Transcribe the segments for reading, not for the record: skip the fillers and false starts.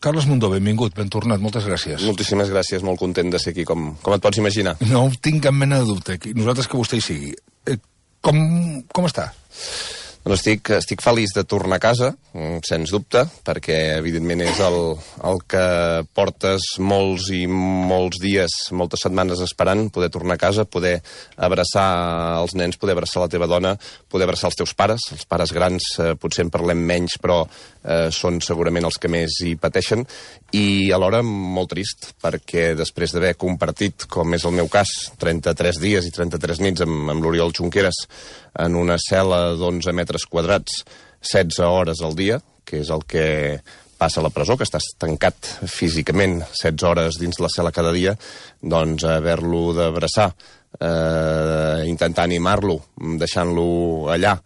Carles Mundó, benvingut, ben tornat, moltes gràcies. Moltíssimes gràcies, molt content de ser aquí, com et pots imaginar. No tinc cap mena de dubte, nosaltres que vostè hi sigui. Com està? Doncs estic feliç de tornar a casa, sens dubte, perquè evidentment és el que portes molts i molts dies, moltes setmanes esperant, poder tornar a casa, poder abraçar els nens, poder abraçar la teva dona, poder abraçar els teus pares. Els pares grans potser en parlem menys, però són segurament els que més hi pateixen, i alhora molt trist, perquè després d'haver compartit, com és el meu cas, 33 dies i 33 nits amb l'Oriol Junqueras en una cel·la d'11 metres quadrats, 16 hores al dia, que és el que passa a la presó, que estàs tancat físicament 16 hores dins la cel·la cada dia, doncs haver-lo d'abraçar, intentar animar-lo, deixant-lo allà,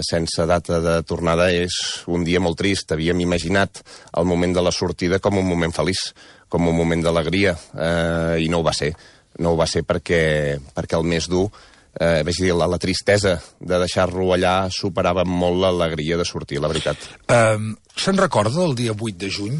sense data de tornada, és un dia molt trist. Havíem imaginat el moment de la sortida com un moment feliç, com un moment d'alegria, i no ho va ser. No ho va ser perquè el més dur, vaig dir, la tristesa de deixar-lo allà superava molt l'alegria de sortir, la veritat. Se'n recorda del dia 8 de juny?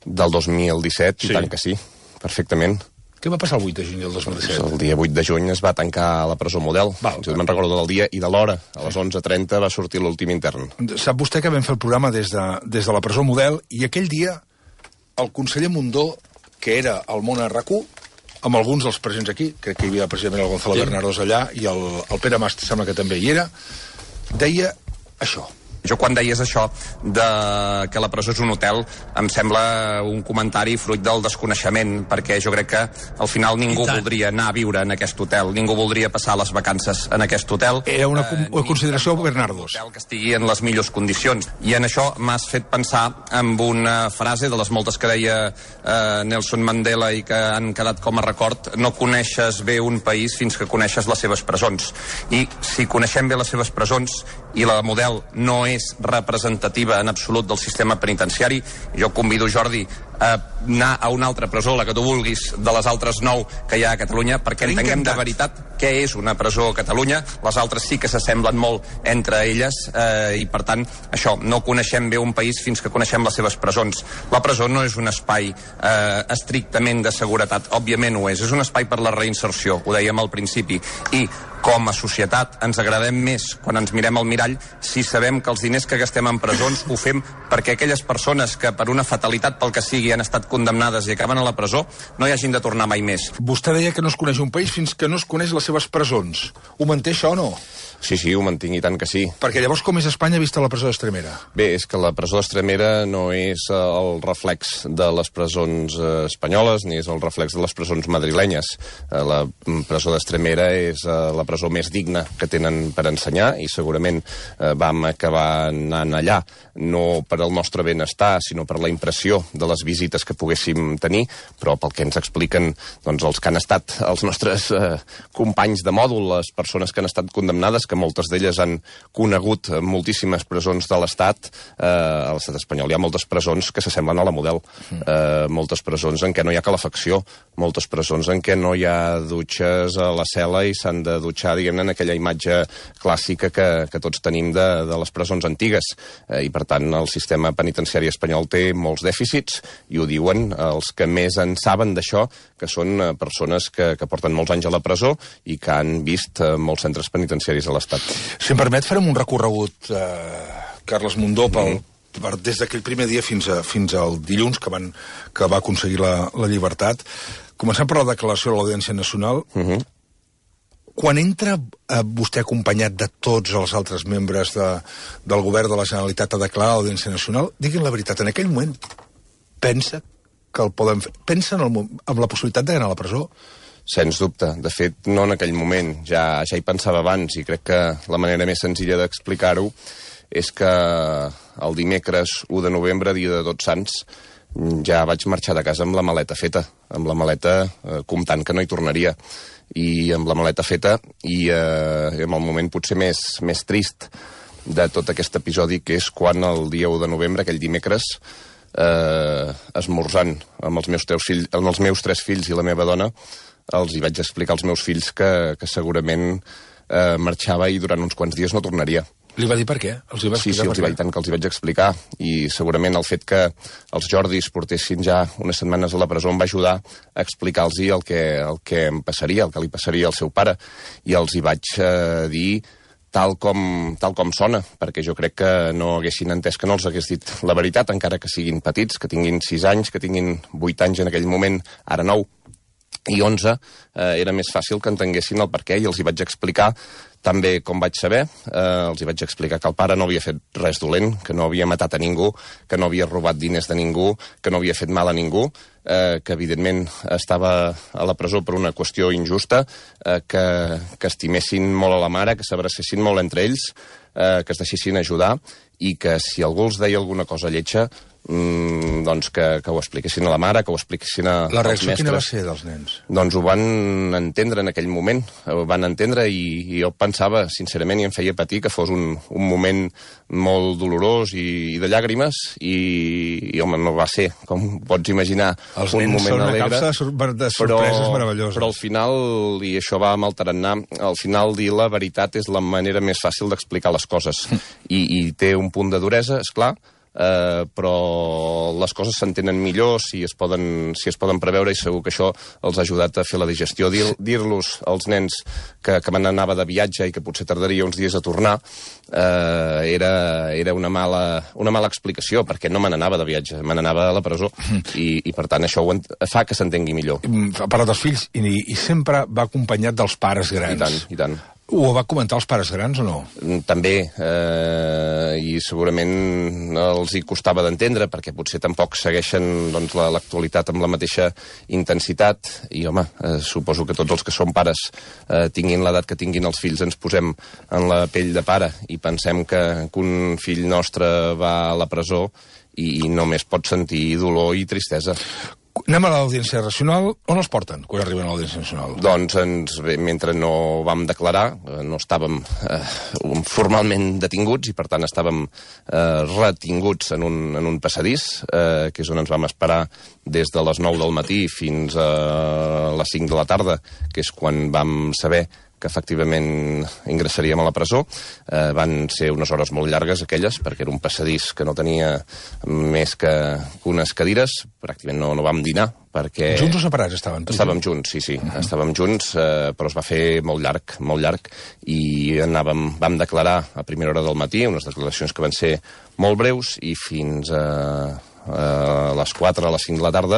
Del 2017, sí. I tant que sí, perfectament. Què va passar el 8 de juny del 2017? El dia 8 de juny es va tancar la presó Model. Jo me'n recordo del dia i de l'hora. A les 11:30 va sortir l'últim intern. Sap vostè que vam fer el programa des de la presó Model, i aquell dia el conseller Mundó, que era al món a RAC1, amb alguns dels presents aquí, crec que hi havia precisament el Gonzalo Bernardos allà, i el Pere Mas sembla que també hi era, deia això. Jo quan deies això que la presó és un hotel, em sembla un comentari fruit del desconeixement, perquè jo crec que al final ningú voldria anar a viure en aquest hotel, ningú voldria passar les vacances en aquest hotel. Era una consideració Bernardos. Un hotel que estigui en les millors condicions. I en això m'has fet pensar en una frase de les moltes que deia Nelson Mandela i que han quedat com a record: no coneixes bé un país fins que coneixes les seves presons. I si coneixem bé les seves presons, i la Model no és representativa en absolut del sistema penitenciari, jo convido Jordi a anar a una altra presó, la que tu vulguis, de les altres 9 que hi ha a Catalunya, perquè entenguem de veritat què és una presó a Catalunya. Les altres sí que s'assemblen molt entre elles, i per tant això, no coneixem bé un país fins que coneixem les seves presons. La presó no és un espai estrictament de seguretat, òbviament ho és un espai per la reinserció, ho dèiem al principi, i com a societat ens agradem més quan ens mirem al mirall si sabem que els diners que gastem en presons ho fem perquè aquelles persones que per una fatalitat, pel que sigui, han estat condemnades i acaben a la presó, no hi hagin de tornar mai més. Vostè deia que no es coneix un país fins que no es coneix les seves presons. Ho manté això o no? Sí, ho mantinc, i tant que sí. Perquè llavors com és Espanya vista la presó d'Estremera? Bé, és que la presó d'Estremera no és el reflex de les presons espanyoles, ni és el reflex de les presons madrilenyes. La presó d'Estremera és la presó més digna que tenen per ensenyar, i segurament vam acabar anant allà no per al nostre benestar, sinó per la impressió de les visites que poguéssim tenir, però pel que ens expliquen doncs, els que han estat els nostres companys de mòdul, les persones que han estat condemnades, que moltes d'elles han conegut moltíssimes presons de l'Estat, a l'Estat espanyol. Hi ha moltes presons que s'assemblen a la Model, moltes presons en què no hi ha calefacció, moltes presons en què no hi ha dutxes a la cel·la i s'han de dutxar, diguem-ne, en aquella imatge clàssica que tots tenim de les presons antigues. I, per tant, el sistema penitenciari espanyol té molts dèficits, i ho diuen els que més en saben d'això, que són persones que porten molts anys a la presó i que han vist molts centres penitenciaris a l'Estat. Si em permet, farem un recorregut, Carles Mundó, des d'aquell primer dia fins al dilluns, que va aconseguir la llibertat. Comencem per la declaració de l'Audiència Nacional. Quan entra vostè acompanyat de tots els altres membres del govern de la Generalitat a declarar l'Audiència Nacional, diguin la veritat, en aquell moment pensa que el poden fer? Pensa en la possibilitat d'anar a la presó? Sens dubte. De fet, no en aquell moment. Ja hi pensava abans, i crec que la manera més senzilla d'explicar-ho és que el dimecres 1 de novembre, dia de Tots Sants, ja vaig marxar de casa amb la maleta feta, amb la maleta comptant que no hi tornaria. I amb la maleta feta, i en el moment potser més trist de tot aquest episodi, que és quan el dia 1 de novembre, aquell dimecres, esmorzant amb els meus 3 fills i la meva dona, els hi vaig explicar als meus fills que segurament marxava i durant uns quants dies no tornaria. Li va dir per què? Els hi va explicar? Sí, els hi vaig, tant que els hi vaig explicar. I segurament el fet que els Jordis portessin ja unes setmanes a la presó em va ajudar a explicar-los el que em passaria, el que li passaria al seu pare. I els hi vaig dir tal com sona, perquè jo crec que no haguessin entès que no els hagués dit la veritat, encara que siguin petits, que tinguin 6 anys, que tinguin 8 anys en aquell moment, ara 9 i 11, era més fàcil que entenguessin el perquè, i els hi vaig explicar tan bé com vaig saber. Els hi vaig explicar que el pare no havia fet res dolent, que no havia matat a ningú, que no havia robat diners de ningú, que no havia fet mal a ningú, que evidentment estava a la presó per una qüestió injusta, que estimessin molt a la mare, que s'abracessin molt entre ells, que es deixessin ajudar, i que si algú els deia alguna cosa lletja, doncs que ho expliquessin a la mare, que ho expliquessin als mestres. La reacció quina va ser dels nens? Doncs ho van entendre en aquell moment, ho van entendre, i jo pensava, sincerament, i em feia patir que fos un moment molt dolorós i de llàgrimes, i home, no va ser, com pots imaginar, els un moment moment alegre. Els nens són una capsa de sorpreses meravelloses. Però al final, i això va amb el tarannà, al final dir la veritat és la manera més fàcil d'explicar les coses, i té un punt de duresa, esclar, però les coses s'entenen millor si es poden preveure, i segur que això els ha ajudat a fer la digestió. Dir-los als nens que me n'anava de viatge i que potser tardaria uns dies a tornar era una mala explicació, perquè no me n'anava de viatge, me n'anava a la presó, i per tant això fa que s'entengui millor. Ha parlat dels fills i sempre va acompanyat dels pares grans. I tant. Ho va comentar als pares grans o no? També, i segurament els hi costava d'entendre, perquè potser tampoc segueixen l'actualitat amb la mateixa intensitat, i home, suposo que tots els que som pares tinguin l'edat que tinguin els fills, ens posem en la pell de pare i pensem que un fill nostre va a la presó i només pot sentir dolor i tristesa. Anem a l'Audiència Nacional. On els porten quan arriben a l'Audiència Nacional? Doncs mentre no vam declarar, no estàvem formalment detinguts, i per tant estàvem retinguts en un passadís, que és on ens vam esperar des de les 9 del matí fins a les 5 de la tarda, que és quan vam saber que efectivament ingressaríem a la presó. Van ser unes hores molt llargues aquelles, perquè era un passadís que no tenia més que unes cadires, pràcticament no vam dinar, perquè... Junts o separats estaven? Estàvem junts, sí, estàvem junts, però es va fer molt llarg, i vam declarar a primera hora del matí, unes declaracions que van ser molt breus, i fins a les 4, a les 5 de la tarda,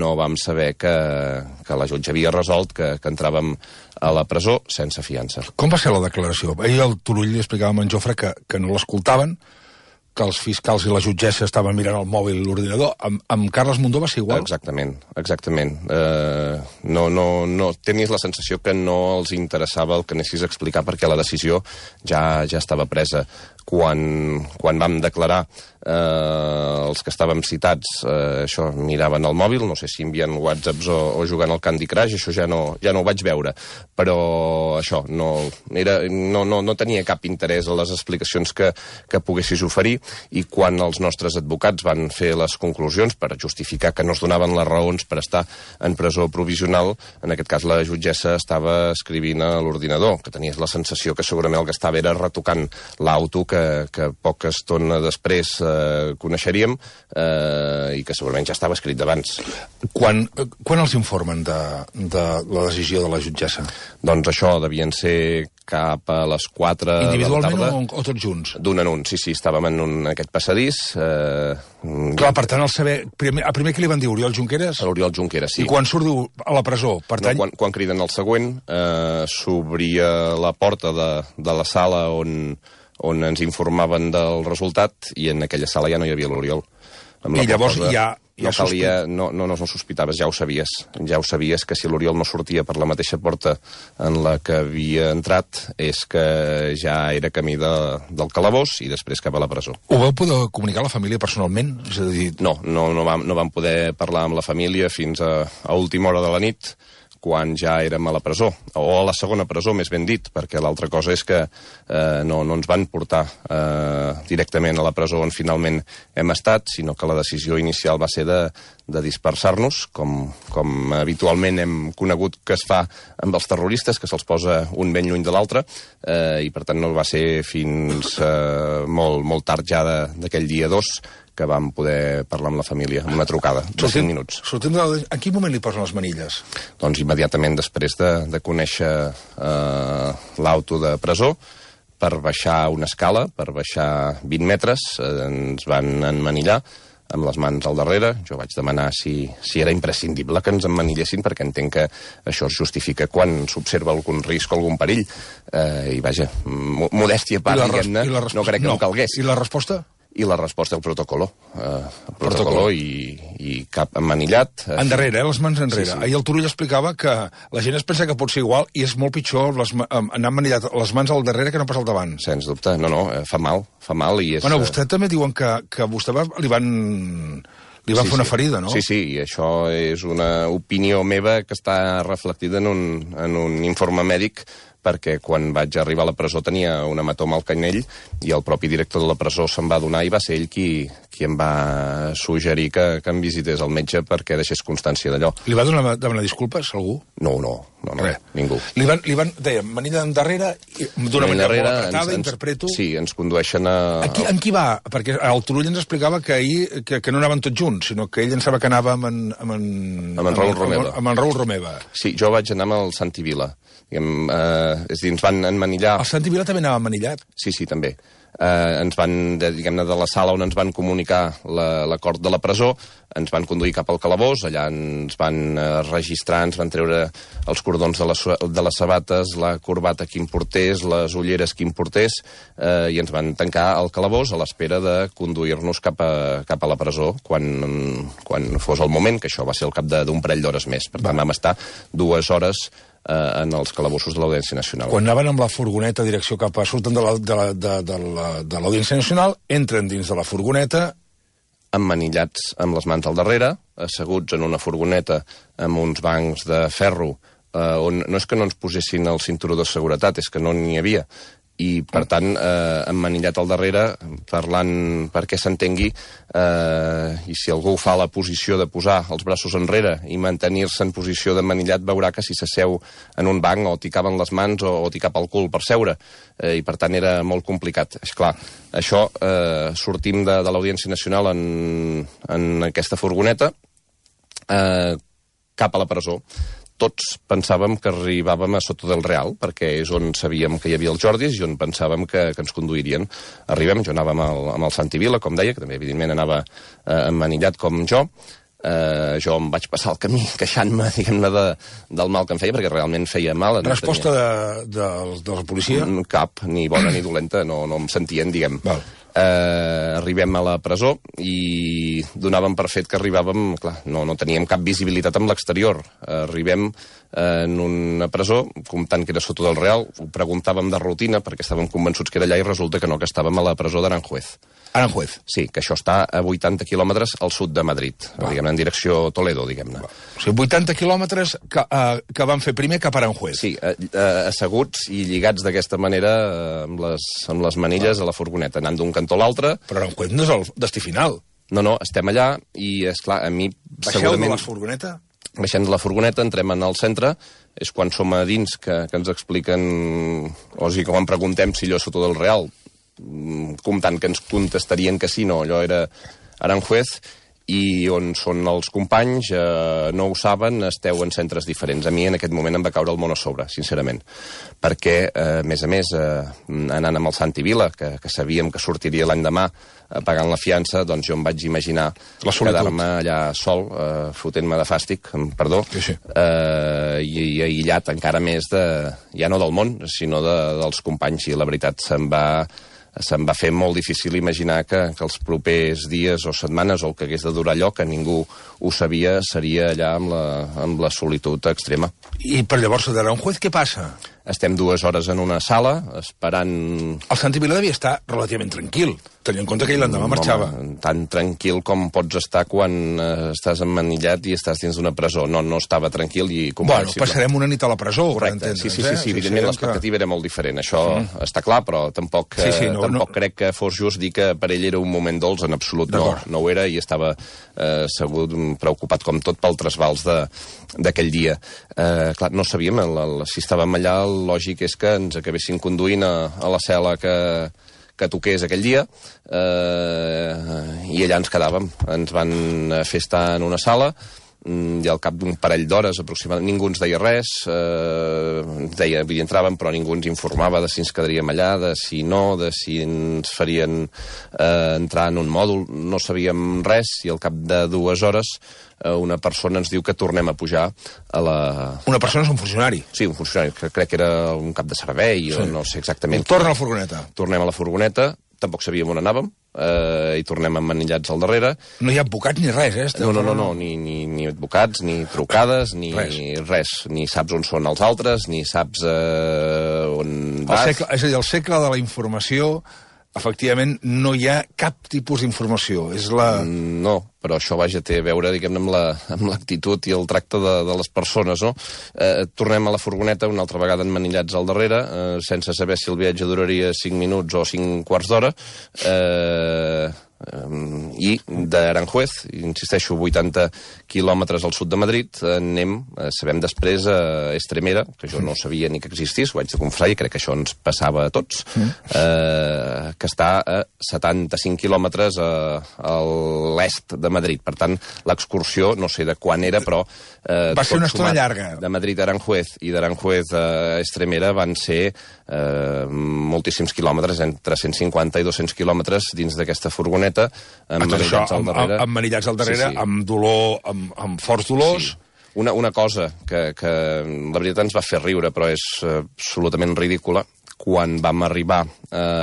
no vam saber que la jutge havia resolt que entràvem a la presó sense fiança. Com va ser la declaració? Ahir el Turull li explicava a en Jofre que no l'escoltaven, que els fiscals i la jutgessa estaven mirant el mòbil i l'ordinador. Amb Carles Mundó va ser igual? Exactament. No tenies la sensació que no els interessava el que anessis a explicar, perquè la decisió ja estava presa. Quan vam declarar, els que estàvem citats, això, miraven el mòbil, no sé si envien whatsapps o jugant al Candy Crush, això ja no ho vaig veure, però això, no tenia cap interès a les explicacions que poguessis oferir, i quan els nostres advocats van fer les conclusions per justificar que no es donaven les raons per estar en presó provisional, en aquest cas la jutgessa estava escrivint a l'ordinador, que tenies la sensació que segurament el que estava era retocant l'auto que poca estona després coneixeríem, i que segurament ja estava escrit d'abans. Quan els informen de la decisió de la jutgessa? Doncs això devien ser cap a les 4 de la tarda. Individualment o tots junts? D'un en un, sí, estàvem en aquest passadís. Clar, per tant, primer que li van dir Oriol Junqueras? A l'Oriol Junqueras, sí. I quan surt a la presó? Quan criden el següent, s'obria la porta de la sala on ens informaven del resultat, i en aquella sala ja no hi havia l'Oriol. I llavors no sospitaves, ja ho sabies que si l'Oriol no sortia per la mateixa porta en la que havia entrat, és que ja era camí del calabós i després cap a la presó. Ho vau poder comunicar a la família personalment? És a dir... No vam poder parlar amb la família fins a última hora de la nit, quan ja érem a la presó, o a la segona presó, més ben dit, perquè l'altra cosa és que no ens van portar directament a la presó on finalment hem estat, sinó que la decisió inicial va ser de dispersar-nos, com habitualment hem conegut que es fa amb els terroristes, que se'ls posa un ben lluny de l'altre, i per tant no va ser fins molt tard ja d'aquell dia 2 que vam poder parlar amb la família, amb una trucada, de 5 minuts. En quin moment li posen les manilles? Doncs immediatament després de conèixer l'auto de presó, per baixar una escala, per baixar 20 metres, ens van emmanillar amb les mans al darrere. Jo vaig demanar si era imprescindible que ens emmanillessin, perquè entenc que això es justifica quan s'observa algun risc o algun perill. I vaja, modèstia a part, diguem-ne, no crec que no calgués. I la resposta? I la resposta al protocolo. El protocolo i cap emmanillat. Endarrere, les mans enrere. Sí. Ahir el Turull explicava que la gent es pensa que pot ser igual i és molt pitjor anar emmanillat les mans al darrere que no pas al davant. Sens dubte. No, fa mal i és... Bueno, vostè també diuen que vostè li van fer una ferida, no? Sí, i això és una opinió meva que està reflectida en un informe mèdic, perquè quan vaig arribar a la presó tenia un hematoma al canyell i el propi director de la presó se'n va adonar i va ser ell qui em va suggerir que em visités al metge perquè deixés constància d'allò. Li va demanar disculpes, algú? No, ningú. Li van deia, manilla endarrere, d'una manera molt apretada, interpreto... Sí, ens condueixen a... En qui va? Perquè el Turull ens explicava que ahir que no anaven tots junts, sinó que ell pensava que anava amb en Raül Romeva. Amb en Raül Romeva. Sí, jo vaig anar amb el Santi Vila. És a dir, ens van emmanillar... El Santi Vila també anava emmanillat? Sí, també. Ens van, diguem-ne, de la sala on ens van comunicar l'acord de la presó, ens van conduir cap al calabós, allà ens van registrar, ens van treure els cordons de les sabates, la corbata que importés, les ulleres que importés, i ens van tancar al calabós a l'espera de conduir-nos cap a la presó quan fos el moment, que això va ser al cap d'un parell d'hores més. Per tant, vam estar 2 hores en els calabossos de l'Audiència Nacional. Quan anaven amb la furgoneta direcció cap a... surten de l'Audiència Nacional, entren dins de la furgoneta... Emmanillats amb les mans al darrere, asseguts en una furgoneta amb uns bancs de ferro, on no és que no ens posessin el cinturó de seguretat, és que no n'hi havia. I, per tant, emmanillat al darrere, parlant perquè s'entengui, i si algú fa la posició de posar els braços enrere i mantenir-se en posició d'emmanillat, veurà que si s'asseu en un banc o t'hi caben les mans o t'hi cap el cul per seure. I, per tant, era molt complicat. Esclar, això, sortim de l'Audiència Nacional en aquesta furgoneta cap a la presó. Tots pensàvem que arribàvem a Soto del Real, perquè és on sabíem que hi havia els Jordis i on pensàvem que ens conduirien. Arribem, jo anava amb el Santi Vila, com deia, que també evidentment anava emmanillat com jo. Jo em vaig passar el camí queixant-me, diguem-ne, del mal que em feia, perquè realment feia mal. Resposta de la policia? Cap, ni bona ni dolenta, no em sentien, diguem. Val. Arribem a la presó i donàvem per fet que arribàvem, clar, no teníem cap visibilitat amb l'exterior. Arribem en una presó, comptant que era Soto del Real, ho preguntàvem de rutina perquè estàvem convençuts que era allà i resulta que no, que estàvem a la presó d'Aranjuez. Aranjuez? Sí, que això està a 80 quilòmetres al sud de Madrid, diguem-ne, en direcció Toledo, diguem-ne. O sigui, 80 quilòmetres que van fer primer cap a Aranjuez. Sí, asseguts i lligats d'aquesta manera amb les manilles a la furgoneta, anant d'un cantó a l'altre. Però Aranjuez no és el destí final. No, estem allà i, esclar, a mi... Baixeu de la furgoneta? Baixem de la furgoneta, entrem en el centre, és quan som a dins que ens expliquen, o sigui, quan preguntem si allò és Soto del Real, comptant que ens contestarien que sí, no, allò era Aranjuez, i on són els companys, no ho saben, esteu en centres diferents. A mi en aquest moment em va caure el món a sobre, sincerament, perquè, a més, anant amb el Santi Vila, que sabíem que sortiria l'endemà pagant la fiança, doncs jo em vaig imaginar quedar-me allà sol, fotent-me de fàstic, perdó, sí. I aïllat encara més ja no del món, sinó dels companys, i la veritat se'm va fer molt difícil imaginar que els propers dies o setmanes, o el que hagués de durar allò, que ningú ho sabia, seria allà amb la solitud extrema. I per llavors a Aranjuez què passa? Estem 2 hores en una sala, esperant... El Santi Vila devia estar relativament tranquil. Tenint en compte que ell l'endemà marxava. Tan tranquil com pots estar quan estàs emmanillat i estàs dins d'una presó. No estava tranquil i comprensible. Bueno, passarem una nit a la presó, correcte, sí, evidentment l'expectativa era molt diferent, això està clar, però tampoc crec que fos just dir que per ell era un moment dolç, en absolut no ho era, i estava segur preocupat com tot pel trasbals d'aquell dia. Clar, no sabíem, si estàvem allà, el lògic és que ens acabessin conduint a la cel·la que toqués aquell dia, i allà ens quedàvem. Ens van fer estar en una sala, i al cap d'un parell d'hores aproximadament ningú ens deia res, entràvem però ningú ens informava de si ens quedaríem allà, de si no, de si ens farien entrar en un mòdul, no sabíem res, i al cap de 2 hores una persona ens diu que tornem a pujar a la... Una persona és un funcionari? Sí, un funcionari, que crec que era un cap de servei, o no sé exactament. Torna a la furgoneta. Tornem a la furgoneta, tampoc sabíem on anàvem, i tornem emmanillats al darrere. No hi ha advocats ni res, No, ni advocats, ni trucades, ni res. Ni saps on són els altres, ni saps on vas. És a dir, el segle de la informació, efectivament, no hi ha cap tipus d'informació. És la... No, però això, té a veure, diguem-ne, amb l'actitud i el tracte de les persones, no? Tornem a la furgoneta una altra vegada emmanillats al darrere, sense saber si el viatge duraria 5 minuts o 5 quarts d'hora, i d'Aranjuez, insisteixo, 80 quilòmetres al sud de Madrid, anem, sabem després, a Estremera, que jo no sabia ni que existís, ho haig de confessar, i crec que això ens passava a tots, que està a 75 quilòmetres a l'est de Madrid. Per tant, l'excursió, no sé de quan era, però... Va ser una estona llarga. De Madrid a Aranjuez i d'Aranjuez a Estremera van ser moltíssims quilòmetres, entre 150 i 200 quilòmetres dins d'aquesta furgoneta, emmanillats al darrere, amb dolor, amb forts dolors. Sí. Una cosa que la veritat ens va fer riure, però és absolutament ridícula. Quan vam arribar a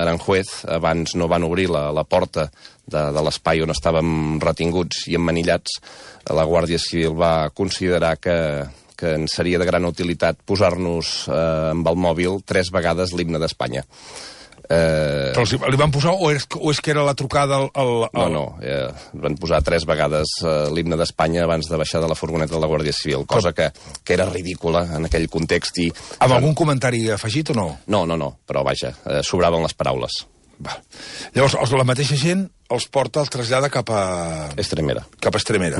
Aranjuez, abans no van obrir la porta de l'espai on estàvem retinguts i emmanillats, la Guàrdia Civil va considerar que ens seria de gran utilitat posar-nos amb el mòbil 3 vegades l'himne d'Espanya. Però li van posar o és que era la trucada No, van posar 3 vegades l'himne d'Espanya abans de baixar de la furgoneta de la Guàrdia Civil, cosa que era ridícula en aquell context. Amb algun comentari afegit o no? No, però vaja, sobraven les paraules. Llavors, la mateixa gent els porta, els trasllada cap a... Estremera. Cap a Estremera.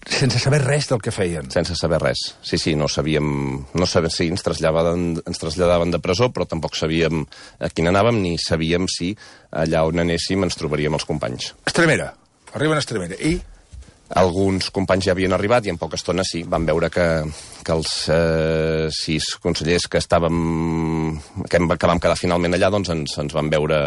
Sense saber res del que feien. Sense saber res. Sí, no sabíem... Sí, ens traslladaven de presó, però tampoc sabíem a quin anàvem, ni sabíem si allà on anéssim ens trobaríem els companys. Estremera. Arriben a Estremera. I... Alguns companys ja havien arribat i en poca estona sí, van veure que els 6 consellers que vam quedar finalment allà, doncs ens van veure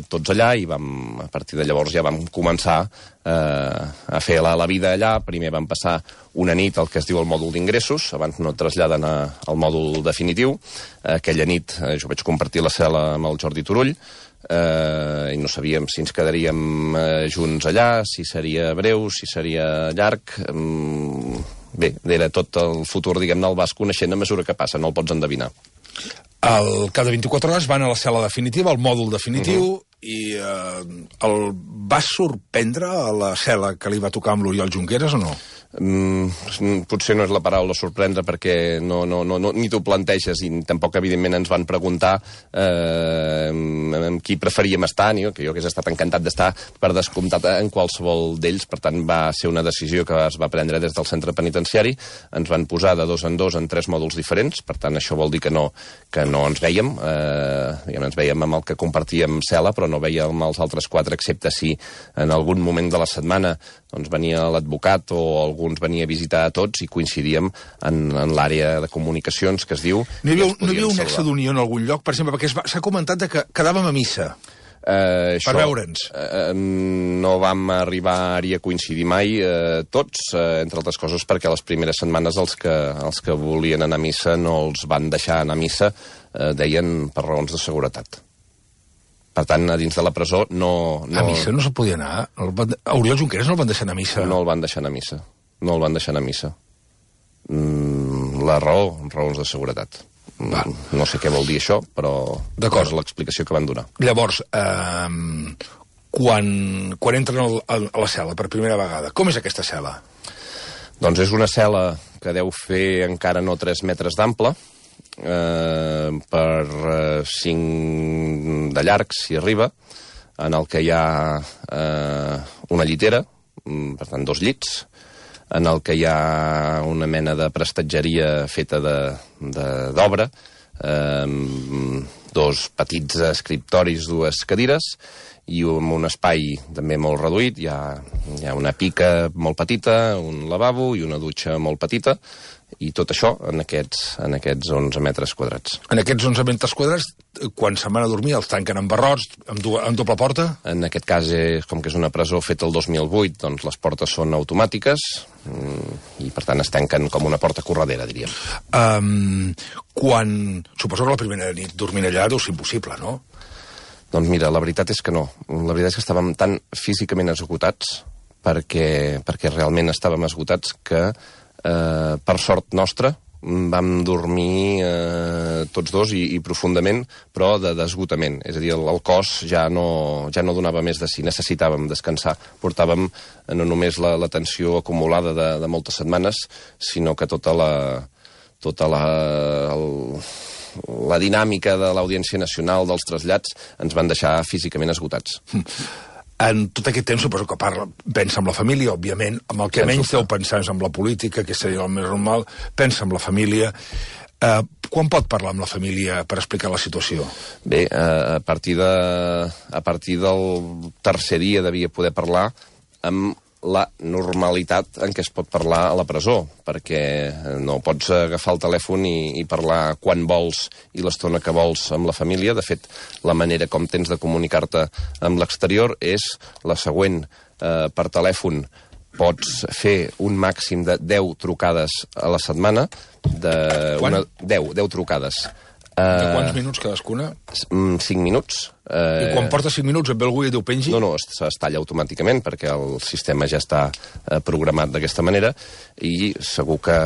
tots allà, i a partir de llavors ja vam començar a fer la vida allà. Primer vam passar una nit al que es diu el mòdul d'ingressos, abans no et traslladen al mòdul definitiu. Aquella nit jo vaig compartir la cel·la amb el Jordi Turull, i no sabíem si ens quedaríem junts allà, si seria breu, si seria llarg. Bé, era tot el futur, diguem-ne, el vas coneixent a mesura que passa, no el pots endevinar. Cada 24 hores van a la cel·la definitiva, al mòdul definitiu, i el va sorprendre a la cel·la que li va tocar amb l'Oriol Junqueras o no? Potser no és la paraula sorprendre, perquè ni t'ho planteges, i tampoc evidentment ens van preguntar amb qui preferíem estar, que jo hagués estat encantat d'estar per descomptat en qualsevol d'ells. Per tant, va ser una decisió que es va prendre des del centre penitenciari. Ens van posar de 2 en 2 en 3 mòduls diferents, per tant això vol dir que no ens vèiem, ens vèiem amb el que compartíem cel·la, però no vèiem els altres 4, excepte si en algun moment de la setmana doncs venia l'advocat o algú ens venia a visitar a tots i coincidíem en l'àrea de comunicacions, que es diu... No hi havia un nexe d'unió en algun lloc, per exemple, perquè s'ha comentat que quedàvem a missa per veure'ns. No vam arribar-hi a coincidir mai tots, entre altres coses perquè les primeres setmanes els que volien anar a missa no els van deixar anar a missa, deien per raons de seguretat. Per tant, a dins de la presó no... A missa no se podia anar? A Oriol Junqueras no el van deixar anar a missa? No el van deixar anar a missa. La raó, raons de seguretat. No sé què vol dir això, però és l'explicació que van donar. Llavors, quan entren a la cel·la per primera vegada, com és aquesta cel·la? Doncs és una cel·la que deu fer encara no 3 metres d'ample, per 5 de llarg, si arriba, en el que hi ha una llitera, per tant 2 llits, en el que hi ha una mena de prestatgeria feta d'obra, 2 petits escriptoris, 2 cadires, i un espai també molt reduït. Hi ha una pica molt petita, un lavabo i una dutxa molt petita, i tot això en aquests 11 metres quadrats. En aquests 11 metres quadrats, quan se'n van a dormir, els tanquen amb barrots, amb doble porta? En aquest cas, com que és una presó feta el 2008, doncs les portes són automàtiques i, per tant, es tanquen com una porta corredera, diríem. Suposo que la primera nit dormint allà deu ser impossible, no? Doncs mira, la veritat és que no. La veritat és que estàvem tan físicament esgotats, perquè realment estàvem esgotats, que per sort nostra vam dormir tots dos i profundament, però d'esgotament. És a dir, el cos ja no donava més de si, necessitàvem descansar. Portàvem no només la tensió acumulada de moltes setmanes, sinó que tota la dinàmica de l'Audiència Nacional, dels trasllats, ens van deixar físicament esgotats. En tot aquest temps suposo que pensa en la família, òbviament, amb el que menys deu pensar és en la política, que seria el més normal, pensa en la família. Quan pot parlar amb la família per explicar la situació? Bé, a partir del tercer dia devia poder parlar amb la normalitat en què es pot parlar a la presó, perquè no pots agafar el telèfon i parlar quan vols i l'estona que vols amb la família. De fet, la manera com tens de comunicar-te amb l'exterior és la següent. Per telèfon pots fer un màxim de 10 trucades a la setmana. 10 trucades. De quants minuts cadascuna? 5 minuts. I quan porta 5 minuts et ve algú i diu pengi? No, es talla automàticament perquè el sistema ja està programat d'aquesta manera, i segur que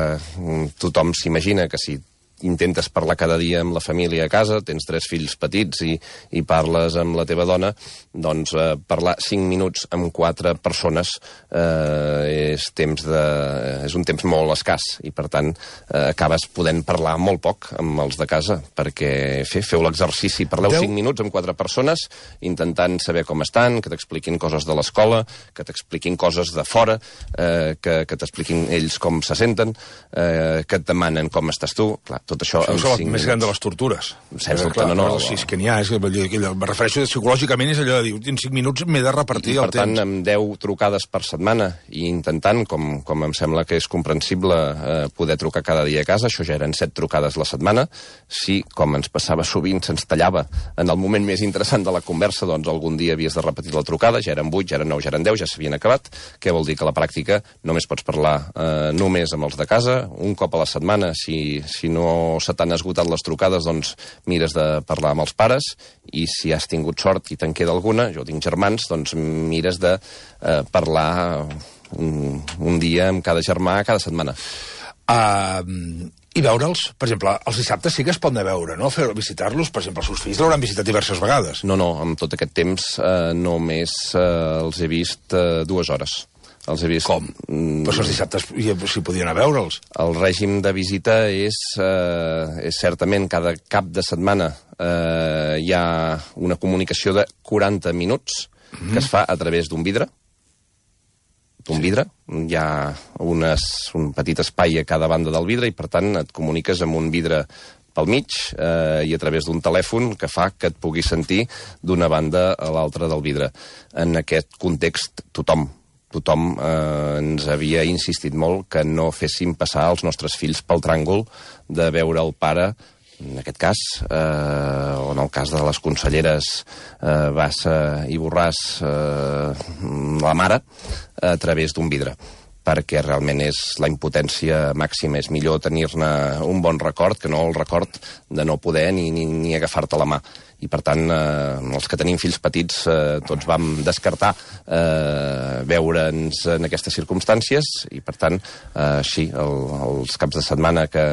tothom s'imagina que si intentes parlar cada dia amb la família a casa, tens 3 fills petits i parles amb la teva dona, doncs parlar 5 minuts amb 4 persones és un temps molt escàs, i per tant acabes podent parlar molt poc amb els de casa, perquè feu l'exercici, parleu 5 minuts amb 4 persones intentant saber com estan, que t'expliquin coses de l'escola, que t'expliquin coses de fora, que t'expliquin ells com se senten, que et demanen com estàs tu. Clar, tot això és el més gran de les tortures. Sense dubte, no. Si és que n'hi ha, me refereixo psicològicament, és allò de dir, en 5 minuts m'he de repartir el temps. Per tant, amb 10 trucades per setmana, i intentant, com em sembla que és comprensible, poder trucar cada dia a casa, això ja eren 7 trucades la setmana. Si, com ens passava sovint, se'ns tallava en el moment més interessant de la conversa, doncs algun dia havies de repetir la trucada, ja eren 8, ja eren 9, ja eren 10, ja s'havien acabat. Què vol dir? Que a la pràctica només pots parlar només amb els de casa, un cop a la setmana. Si no se t'han esgotat les trucades, doncs mires de parlar amb els pares, i si has tingut sort i te'n queda alguna, jo tinc germans, doncs mires de parlar un dia amb cada germà cada setmana. I veure'ls, per exemple, els dissabtes sí que es poden veure, no? Visitar-los, per exemple, els seus fills l'hauran visitat diverses vegades. No, amb tot aquest temps només els he vist 2 hores. Els he vist... Com? Però els dissabtes s'hi podien anar a veure'ls. El règim de visita és certament cada cap de setmana hi ha una comunicació de 40 minuts que es fa a través d'un vidre. Hi ha un petit espai a cada banda del vidre, i per tant et comuniques amb un vidre pel mig i a través d'un telèfon que fa que et puguis sentir d'una banda a l'altra del vidre. En aquest context, tothom ens havia insistit molt que no féssim passar els nostres fills pel tràngol de veure el pare, en aquest cas, o en el cas de les conselleres Bassa i Borràs, la mare, a través d'un vidre. perquè realment és la impotència màxima. És millor tenir-ne un bon record que no el record de no poder ni agafar-te la mà. I, per tant, els que tenim fills petits tots vam descartar veure'ns en aquestes circumstàncies i, per tant, sí, els caps de setmana que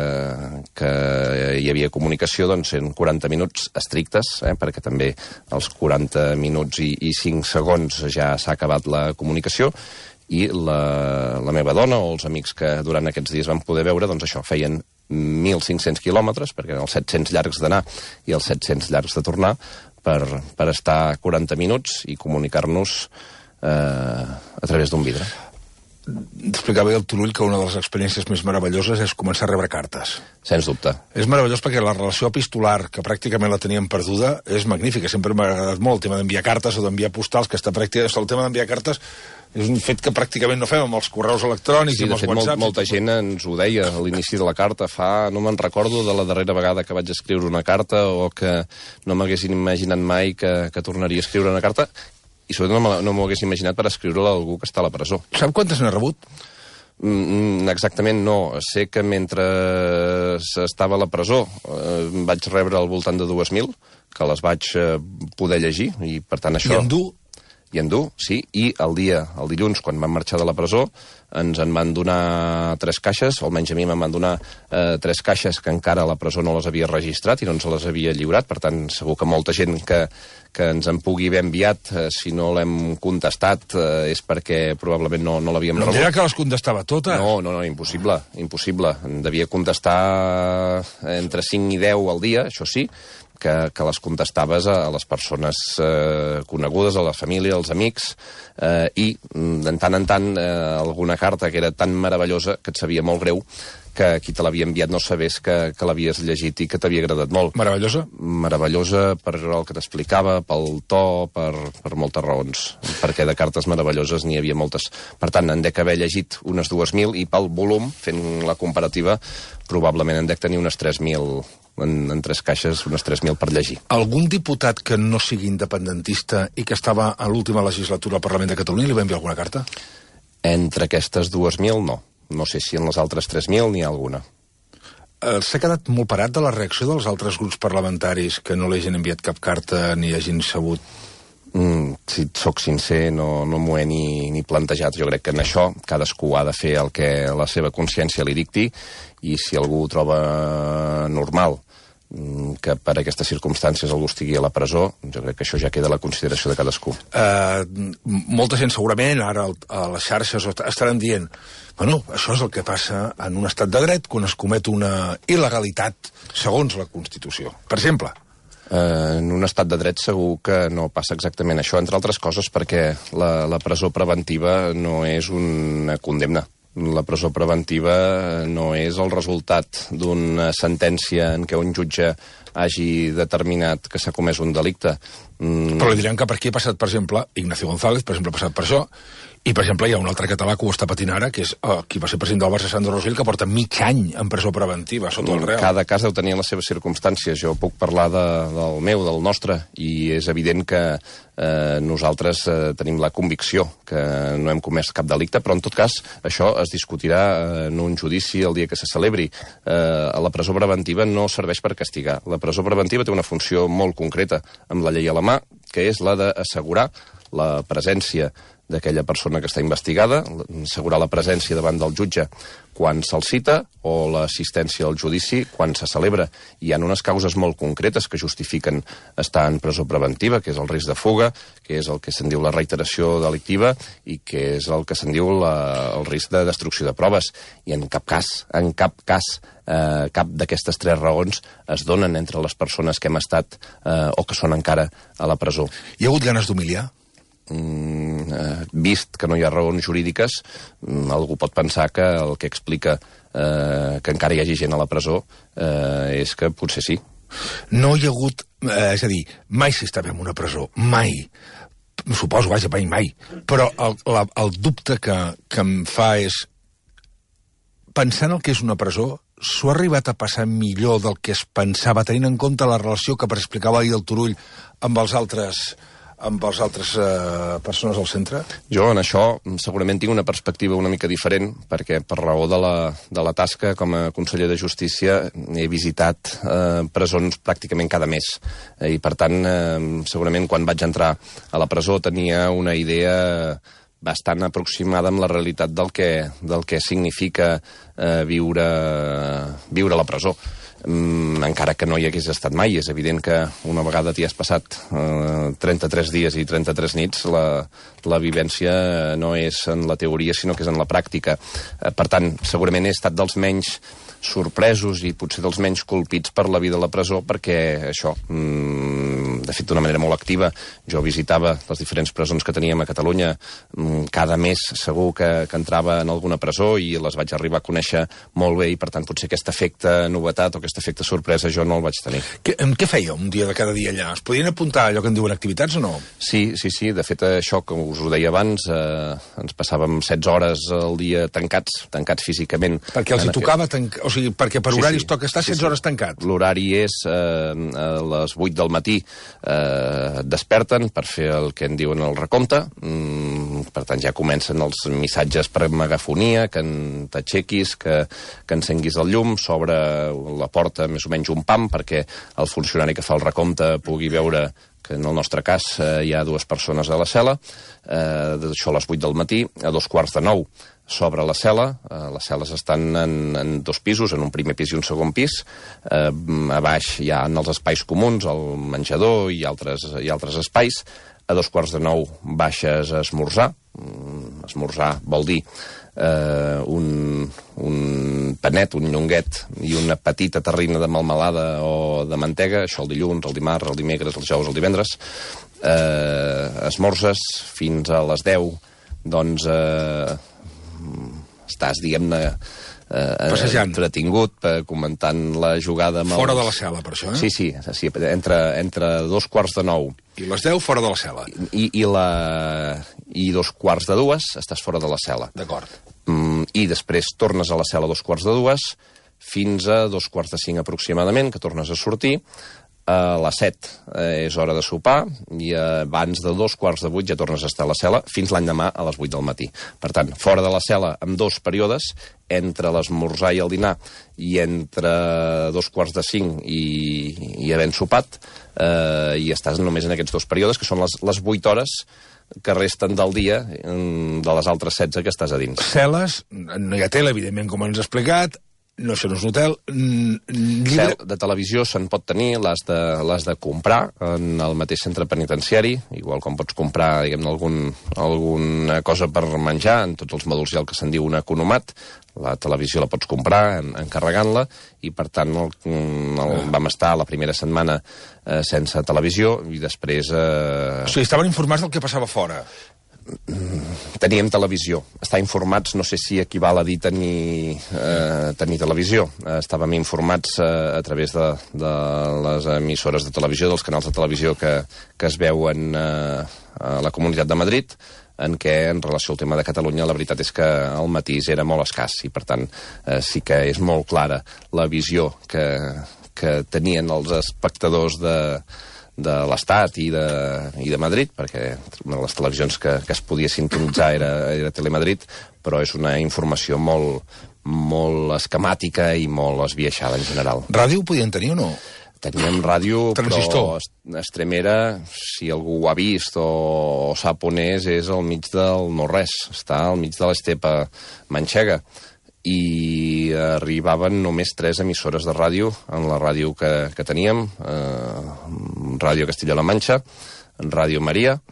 hi havia comunicació, doncs, eren 40 minuts estrictes, perquè també als 40 minuts i 5 segons ja s'ha acabat la comunicació, i la meva dona o els amics que durant aquests dies van poder veure, doncs això, feien 1.500 quilòmetres, perquè eren els 700 llargs d'anar i els 700 llargs de tornar, per estar 40 minuts i comunicar-nos a través d'un vidre. Explicava el Turull que una de les experiències més meravelloses és començar a rebre cartes. Sens dubte. És meravellós perquè la relació epistolar, que pràcticament la teníem perduda, és magnífica. Sempre m'ha agradat molt el tema d'enviar cartes o d'enviar postals, que està pràcticament... El tema d'enviar cartes és un fet que pràcticament no fem amb els correus electrònics i amb els WhatsApps. Sí, molta gent ens ho deia a l'inici de la carta. No me'n recordo de la darrera vegada que vaig escriure una carta o que no m'haguessin imaginat mai que tornaria a escriure una carta, i sobretot no m'ho hagués imaginat per escriure-la a algú que està a la presó. Sap quantes n'ha rebut? Exactament no. Sé que mentre estava a la presó vaig rebre al voltant de 2.000, que les vaig poder llegir, i per tant això... I endur, sí, i el dilluns, quan vam marxar de la presó, ens en van donar 3 caixes, o almenys a mi me'n van donar 3 caixes que encara a la presó no les havia registrat i no ens les havia lliurat. Per tant, segur que molta gent que ens en pugui haver enviat, si no l'hem contestat, és perquè probablement no l'havíem rebut. No dirà que les contestava totes? No, impossible. En devia contestar entre 5 i 10 al dia, això sí, que les contestaves a les persones conegudes, a la família, als amics, i de tant en tant alguna carta que era tan meravellosa que et sabia molt greu que qui te l'havia enviat no sabés que l'havies llegit i que t'havia agradat molt. Meravellosa? Meravellosa per el que t'explicava, pel to, per moltes raons. Perquè de cartes meravelloses n'hi havia moltes. Per tant, en dec haver llegit unes 2.000 i pel volum, fent la comparativa, probablement en dec tenir unes 3.000 en 3 caixes, unes 3.000 per llegir. Algun diputat que no sigui independentista i que estava a l'última legislatura al Parlament de Catalunya li va enviar alguna carta? Entre aquestes 2.000, no. No sé si en les altres 3.000 n'hi ha alguna. S'ha quedat molt parat de la reacció dels altres grups parlamentaris que no li hagin enviat cap carta ni hagin sabut? Si et soc sincer, no m'ho he ni plantejat. Jo crec que en això cadascú ha de fer el que la seva consciència li dicti, i si algú ho troba normal que per aquestes circumstàncies algú estigui a la presó, jo crec que això ja queda a la consideració de cadascú. Molta gent segurament ara a les xarxes estaran dient bueno, això és el que passa en un estat de dret quan es comet una il·legalitat segons la Constitució. Per exemple... En un estat de dret segur que no passa exactament això, entre altres coses perquè la presó preventiva no és una condemna. La presó preventiva no és el resultat d'una sentència en què un jutge hagi determinat que s'ha comès un delicte. Però li diran que per aquí ha passat, per exemple, Ignacio González, per exemple, ha passat per això, i, per exemple, hi ha un altre català que ho està patint ara, que és qui va ser president del Barça, Sandro Rosell, que porta mig any en presó preventiva, sota el Real. Cada cas deu tenir les seves circumstàncies. Jo puc parlar del meu, del nostre, i és evident que nosaltres tenim la convicció que no hem comès cap delicte, però en tot cas això es discutirà en un judici el dia que se celebri. La presó preventiva no serveix per castigar. La presó preventiva té una funció molt concreta amb la llei a la mà, que és la d'assegurar la presència d'aquella persona que està investigada, assegurar la presència davant del jutge quan se'l cita o l'assistència al judici quan se celebra. Hi ha unes causes molt concretes que justifiquen estar en presó preventiva, que és el risc de fuga, que és el que se'n diu la reiteració delictiva i que és el que se'n diu el risc de destrucció de proves. I en cap cas, cap d'aquestes 3 raons es donen entre les persones que hem estat o que són encara a la presó. Hi ha hagut ganes d'humiliar? Vist que no hi ha raons jurídiques, algú pot pensar que el que explica que encara hi hagi gent a la presó és que potser sí. No hi ha hagut, és a dir, mai s'estava en una presó, mai. Suposo, vaja, mai. Però el dubte que em fa és, pensant el que és una presó, s'ho ha arribat a passar millor del que es pensava, tenint en compte la relació que explicava ahir el Turull amb els altres amb les altres persones al centre? Jo en això segurament tinc una perspectiva una mica diferent, perquè per raó de la tasca com a conseller de Justícia he visitat presons pràcticament cada mes. I per tant, segurament quan vaig entrar a la presó tenia una idea bastant aproximada amb la realitat del que significa viure a la presó. Encara que no hi hagués estat mai. És evident que una vegada t'hi has passat 33 dies i 33 nits, la vivència no és en la teoria, sinó que és en la pràctica. Per tant, segurament he estat dels menys sorpresos i potser dels menys colpits per la vida a la presó, perquè això, de fet d'una manera molt activa, jo visitava les diferents presons que teníem a Catalunya, cada mes segur que entrava en alguna presó i les vaig arribar a conèixer molt bé, i per tant potser aquest efecte novetat o aquest efecte sorpresa jo no el vaig tenir. Què feia un dia de cada dia allà? Es podien apuntar allò que en diuen activitats o no? Sí, de fet això que us ho deia abans, ens passàvem 16 hores al dia tancats físicament. Perquè els hi tocava tancar, o sigui, perquè per horaris toca estar 16 hores tancat. L'horari és a les 8 del matí desperten per fer el que en diuen el recompte, per tant ja comencen els missatges per megafonia, que t'aixequis, que encenguis el llum, s'obre la porta més o menys un pam perquè el funcionari que fa el recompte pugui veure que en el nostre cas hi ha 2 persones a la cel·la, això a les 8 del matí, a 8:45 s'obre la cel·la, les cel·les estan en 2 pisos, en un primer pis i un segon pis, a baix hi ha els espais comuns, el menjador i altres espais, a 8:45 baixes a esmorzar, esmorzar vol dir un panet, un llonguet i una petita terrina de melmelada o de mantega, això el dilluns, el dimarts, el dimecres, el dijous, el divendres, esmorzes fins a les 10, doncs estàs, diguem-ne, entretingut, comentant la jugada amb fora de la cel·la, per això, eh? Sí, entre 8:45 i les 10 fora de la cel·la. I 1:45 estàs fora de la cel·la. D'acord. I després tornes a la cel·la a 2:45 fins a 2:45 aproximadament, que tornes a sortir. A les 7 és hora de sopar i abans de 7:15 ja tornes a estar a la cel·la fins l'endemà a les 8 del matí. Per tant, fora de la cel·la amb 2 períodes, entre l'esmorzar i el dinar i entre 2:45 i havent sopat, i estàs només en aquests 2 períodes, que són les 8 hores que resten del dia de les altres 16 que estàs a dins. Cel·les, no hi ha tele, evidentment, com ens has explicat. No, això no és un hotel. Llibre de televisió se'n pot tenir, l'has de comprar en el mateix centre penitenciari, igual com pots comprar, diguem-ne, alguna cosa per menjar, en tots els mòduls hi ha el que se'n diu un economat. La televisió la pots comprar encarregant-la, i per tant vam estar la primera setmana sense televisió i després... O sigui, estaven informats del que passava fora. Teníem televisió. Estar informats no sé si equival a dir tenir televisió. Estàvem informats a través de les emissores de televisió, dels canals de televisió que es veuen a la Comunitat de Madrid, en què, en relació al tema de Catalunya, la veritat és que el matís era molt escàs, i per tant sí que és molt clara la visió que tenien els espectadors de l'Estat i de Madrid, perquè una de les televisions que es podia sintonitzar era Telemadrid, però és una informació molt esquemàtica i molt esbiaixada en general. Ràdio podien tenir o no? Teníem ràdio, transistor. Però Extremera, si algú ho ha vist o sap on és al mig del no-res, està al mig de l'estepa manxega. I arribaven només 3 emissores de ràdio en la ràdio que teníem, Ràdio Castilla-La Manxa, Ràdio Maria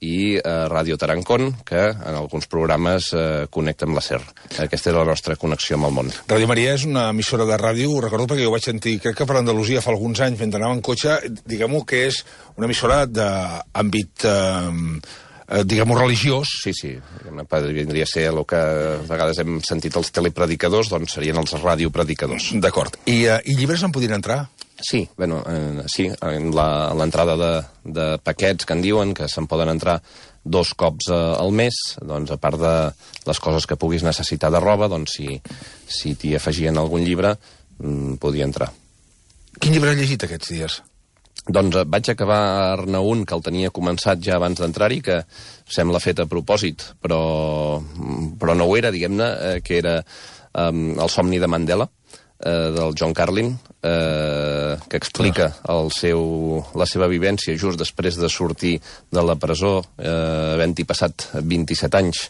i Ràdio Tarancón, que en alguns programes connecta amb la SER. Aquesta és la nostra connexió amb el món. Ràdio Maria és una emissora de ràdio, ho recordo perquè jo vaig sentir, crec que per Andalusia fa alguns anys, mentre anava en cotxe, diguem-ho que és una emissora d'àmbit... diguem-ho, religiós. Sí, vindria a ser el que a vegades hem sentit els telepredicadors, doncs serien els radiopredicadors. D'acord. I llibres en podien entrar? Sí, sí, l'entrada de paquets que en diuen, que se'n poden entrar 2 cops al mes, doncs a part de les coses que puguis necessitar de roba, doncs si t'hi afegien algun llibre, podia entrar. Quin llibre has llegit aquests dies? Doncs vaig acabar-ne un que el tenia començat ja abans d'entrar-hi, que sembla fet a propòsit, però no ho era, diguem-ne, que era El somni de Mandela, del John Carlin, que explica la seva vivència just després de sortir de la presó, havent-hi passat 27 anys,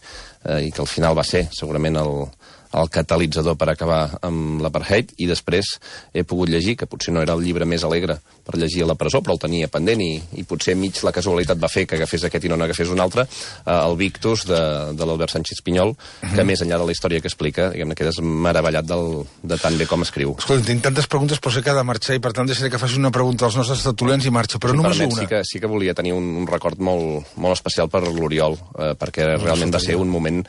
i que al final va ser segurament el catalitzador per acabar amb l'apartheid, i després he pogut llegir, que potser no era el llibre més alegre per llegir a la presó, però el tenia pendent, i potser mig la casualitat va fer que agafés aquest i no n'agafés un altre, el Victus de l'Albert Sánchez Pinyol, que més enllà de la història que explica, diguem-ne, quedes meravellat de tan bé com escriu. Escolta, tinc tantes preguntes, però sé que ha de marxar, i per tant deixaré que faci una pregunta als nostres tertulians i marxa, però només una. Sí que volia tenir un record molt, molt especial per l'Oriol, perquè realment va ser un moment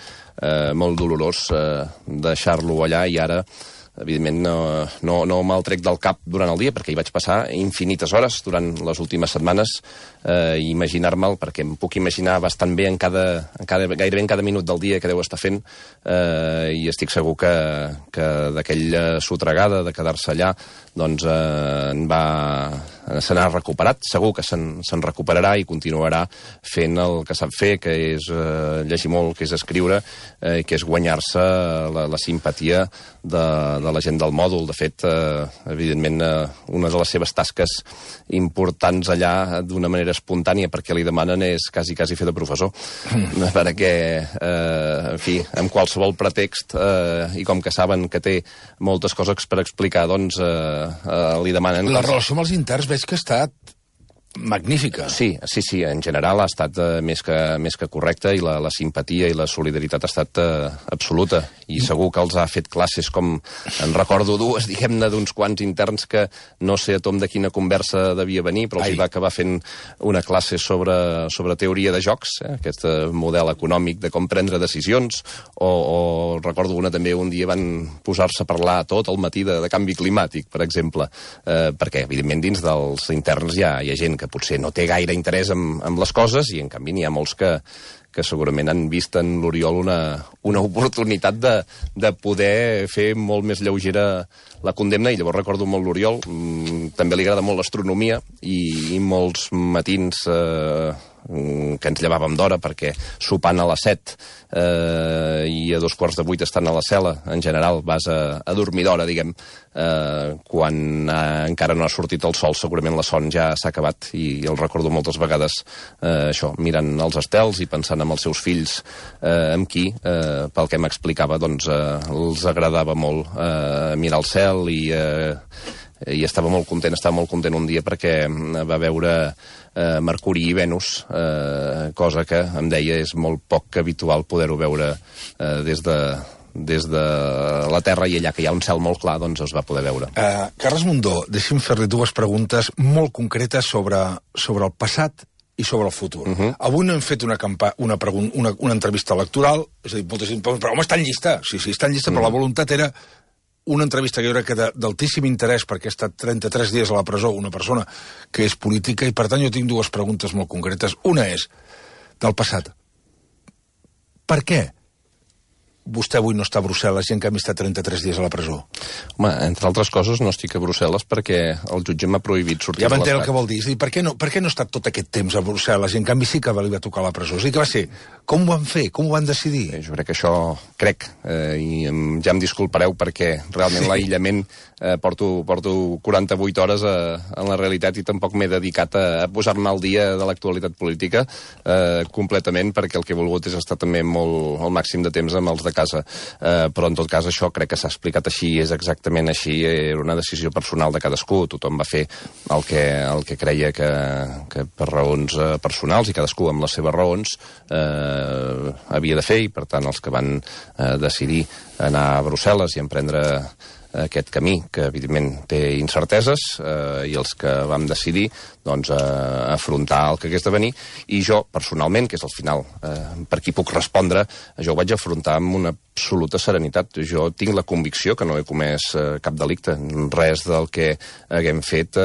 molt dolorós deixar-lo allà, i ara evidentment no me'l trec del cap durant el dia, perquè hi vaig passar infinites hores durant les últimes setmanes, imaginar-me'l, perquè em puc imaginar bastant bé gairebé en cada minut del dia que deu estar fent, i estic segur que d'aquella sotregada de quedar-se allà, doncs se n'ha recuperat, segur que se'n recuperarà i continuarà fent el que sap fer, que és llegir molt, que és escriure, que és guanyar-se la simpatia de la gent del mòdul. De fet, evidentment, una de les seves tasques importants allà d'una manera espontània, perquè li demanen, és quasi fer de professor, perquè, en fi, amb qualsevol pretext, i com que saben que té moltes coses per explicar, doncs li demanen... La relació amb els interns veig que ha estat magnífica. Sí, en general ha estat més que correcta, i la simpatia i la solidaritat ha estat absoluta, i segur que els ha fet classes, com en recordo dues, diguem-ne, d'uns quants interns que no sé a tom de quina conversa devia venir, però els hi va acabar fent una classe sobre teoria de jocs, aquest model econòmic de com prendre decisions, o recordo una també, un dia van posar-se a parlar tot el matí de canvi climàtic, per exemple, perquè evidentment dins dels interns hi ha gent que potser no té gaire interès en les coses, i en canvi n'hi ha molts que segurament han vist en l'Oriol una oportunitat de poder fer molt més lleugera la condemna, i llavors recordo molt l'Oriol. També li agrada molt l'astronomia, i molts matins que ens llevàvem d'hora, perquè sopant a les 7 i a 7:15 estan a la cel·la, en general vas a dormir d'hora, diguem, quan encara no ha sortit el sol, segurament la son ja s'ha acabat, i el recordo moltes vegades això, mirant els estels i pensant en els seus fills, amb qui, pel que m'explicava, doncs els agradava molt mirar el cel, i estava molt content un dia perquè va veure Mercuri i Venus, cosa que em deia és molt poc habitual poder-ho veure des de la Terra, i allà que hi ha un cel molt clar, doncs es va poder veure. Carles Mundó, deixi'm fer-li dues preguntes molt concretes sobre el passat i sobre el futur. Avui no hem fet una entrevista electoral, és a dir, molta gent, però home, està en llista. Sí, està en llista, però la voluntat era una entrevista que jo crec que d'altíssim interès, perquè ha estat 33 dies a la presó una persona que és política, i per tant jo tinc dues preguntes molt concretes. Una és del passat. Per què vostè avui no està a Brussel·les i en canvi està 33 dies a la presó? Home, entre altres coses no estic a Brussel·les perquè el jutge m'ha prohibit sortir de l'estat. Ja m'entenc el que vol dir. És a dir, per què no ha estat tot aquest temps a Brussel·les i en canvi sí que li va tocar a la presó? És a dir, que va ser? Com ho van fer? Com ho van decidir? Jo crec que això, i ja em disculpareu perquè realment l'aïllament porto 48 hores en la realitat, i tampoc m'he dedicat a posar-me al dia de l'actualitat política completament, perquè el que he volgut és estar també el màxim de temps amb els de casa. Però en tot cas això crec que s'ha explicat així, és exactament així, era una decisió personal de cadascú, tothom va fer el que creia que per raons personals, i cadascú amb les seves raons havia de fer, i per tant els que van decidir anar a Brussel·les i emprendre aquest camí, que evidentment té incerteses, i els que vam decidir doncs afrontar el que hagués de venir, i jo personalment, que és al final per qui puc respondre, jo ho vaig afrontar amb una absoluta serenitat. Jo tinc la convicció que no he comès cap delicte, res del que haguem fet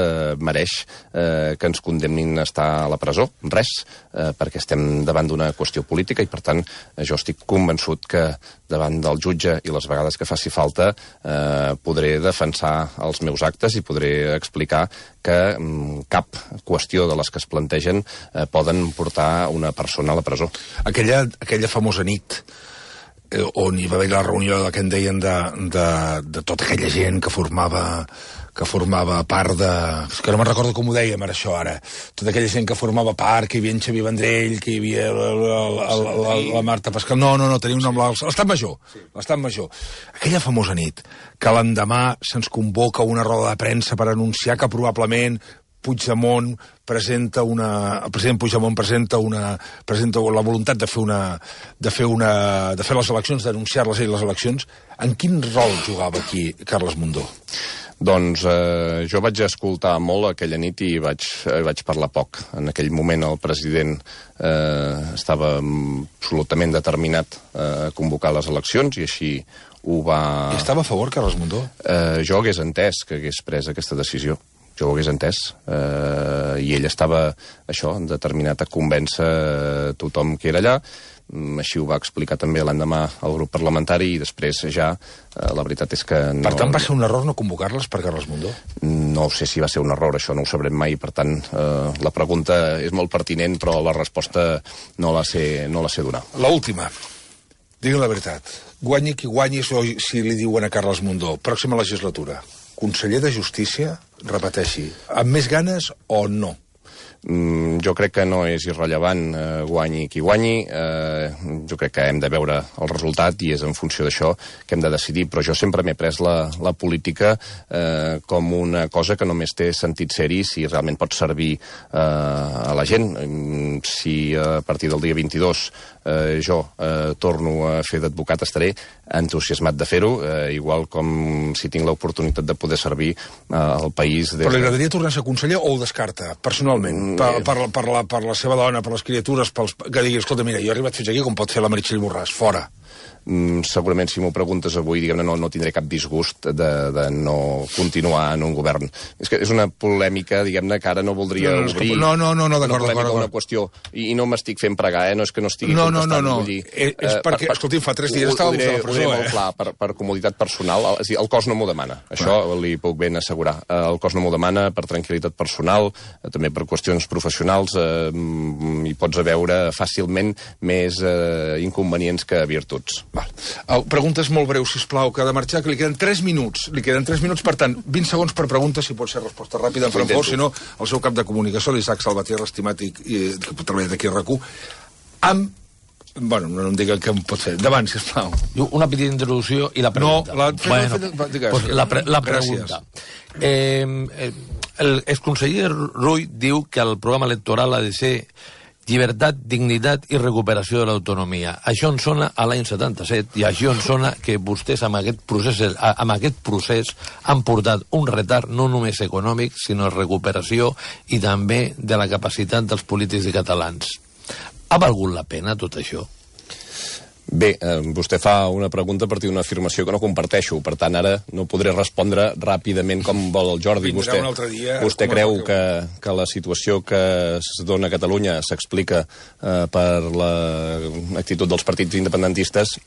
mereix que ens condemnin a estar a la presó, res, perquè estem davant d'una qüestió política, i per tant jo estic convençut que davant del jutge, i les vegades que faci falta, podré defensar els meus actes i podré explicar que cap qüestió de les que es plantegen poden portar una persona a la presó. Aquella famosa nit on hi va haver la reunió que en deien de tota aquella gent que formava part de... És que no me'n recordo com ho dèiem això ara. Tota aquella gent que formava part, que hi havia en Xavier Vendrell, que hi havia la Marta Pascal... No, tenia un nom... L'Estat Major. L'Estat Major. Aquella famosa nit, que l'endemà se'ns convoca una roda de premsa per anunciar que probablement el president Puigdemont presenta la voluntat de fer les eleccions, d'anunciar-les ell les eleccions. En quin rol jugava aquí Carles Mundó? Doncs jo vaig escoltar molt aquella nit i vaig parlar poc. En aquell moment el president estava absolutament determinat a convocar les eleccions i així ho va... I estava a favor, Carles Mundó? Jo hagués entès que hagués pres aquesta decisió. Jo ho hagués entès, i ell estava, determinat a convèncer tothom que era allà. Així ho va explicar també l'endemà al grup parlamentari i després ja la veritat és que no... Per tant, va ser un error no convocar-les per Carles Mundó? No sé si va ser un error, això no ho sabrem mai, per tant, la pregunta és molt pertinent, però la resposta no la sé donar. L'última. Digui la veritat. Guanyi qui guanyi si li diuen a Carles Mundó. Pròxima legislatura. Conseller de Justícia, repeteixi, amb més ganes o no? Jo crec que no és irrellevant guanyi qui guanyi. Jo crec que hem de veure el resultat i és en funció d'això que hem de decidir, però jo sempre m'he pres la política com una cosa que només té sentit ser-hi si realment pot servir a la gent. Si a partir del dia 22 jo torno a fer d'advocat, estaré entusiasmat de fer-ho, igual com si tinc l'oportunitat de poder servir al país. Però li agradaria tornar a ser conseller o ho descarta, personalment? Per la seva dona, per les criatures, que digui, escolta, mira, jo he arribat fins aquí com pot fer la Meritxell Borràs, fora. Segurament si m'ho preguntes avui, diguem-ne, no tindré cap disgust de no continuar en un govern. És que és una polèmica, diguem-ne, que ara no voldria obrir. No, d'acord. Una qüestió, i no m'estic fent pregar, no és que no estigui contestant. No. És perquè, escolti'm, fa 3 dies estava vostè a la presó, Ho diré molt clar, per comoditat personal, és a dir, el cos no m'ho demana, això li puc ben assegurar. El cos no m'ho demana per tranquil·litat personal, també per qüestions professionals, hi pots veure fàcilment més inconvenients que virtuts. Preguntes molt breus, sisplau, que ha de marxar, que li queden 3 minuts. Li queden 3 minuts, per tant, 20 segons per pregunta, si pot ser resposta ràpida en Francfort, si no, el seu cap de comunicació, l'Isaac Salvatierra, estimat i que pot treballar d'aquí a RAC1, bueno, no em digui què em pot fer. Davant, sisplau. Una petita introducció i la pregunta. La pregunta. El exconseller Rull diu que el programa electoral ha de ser llibertat, dignitat i recuperació de l'autonomia. Això en sona a l'any 77 i això en sona que vostès amb aquest procés han portat un retard no només econòmic, sinó recuperació i també de la capacitat dels polítics i catalans. Ha valgut la pena tot això? Bé, vostè fa una pregunta a partir d'una afirmació que no comparteixo, per tant ara no podré respondre ràpidament com vol el Jordi. Vostè creu que la situació que es dona a Catalunya s'explica per l'actitud dels partits independentistes,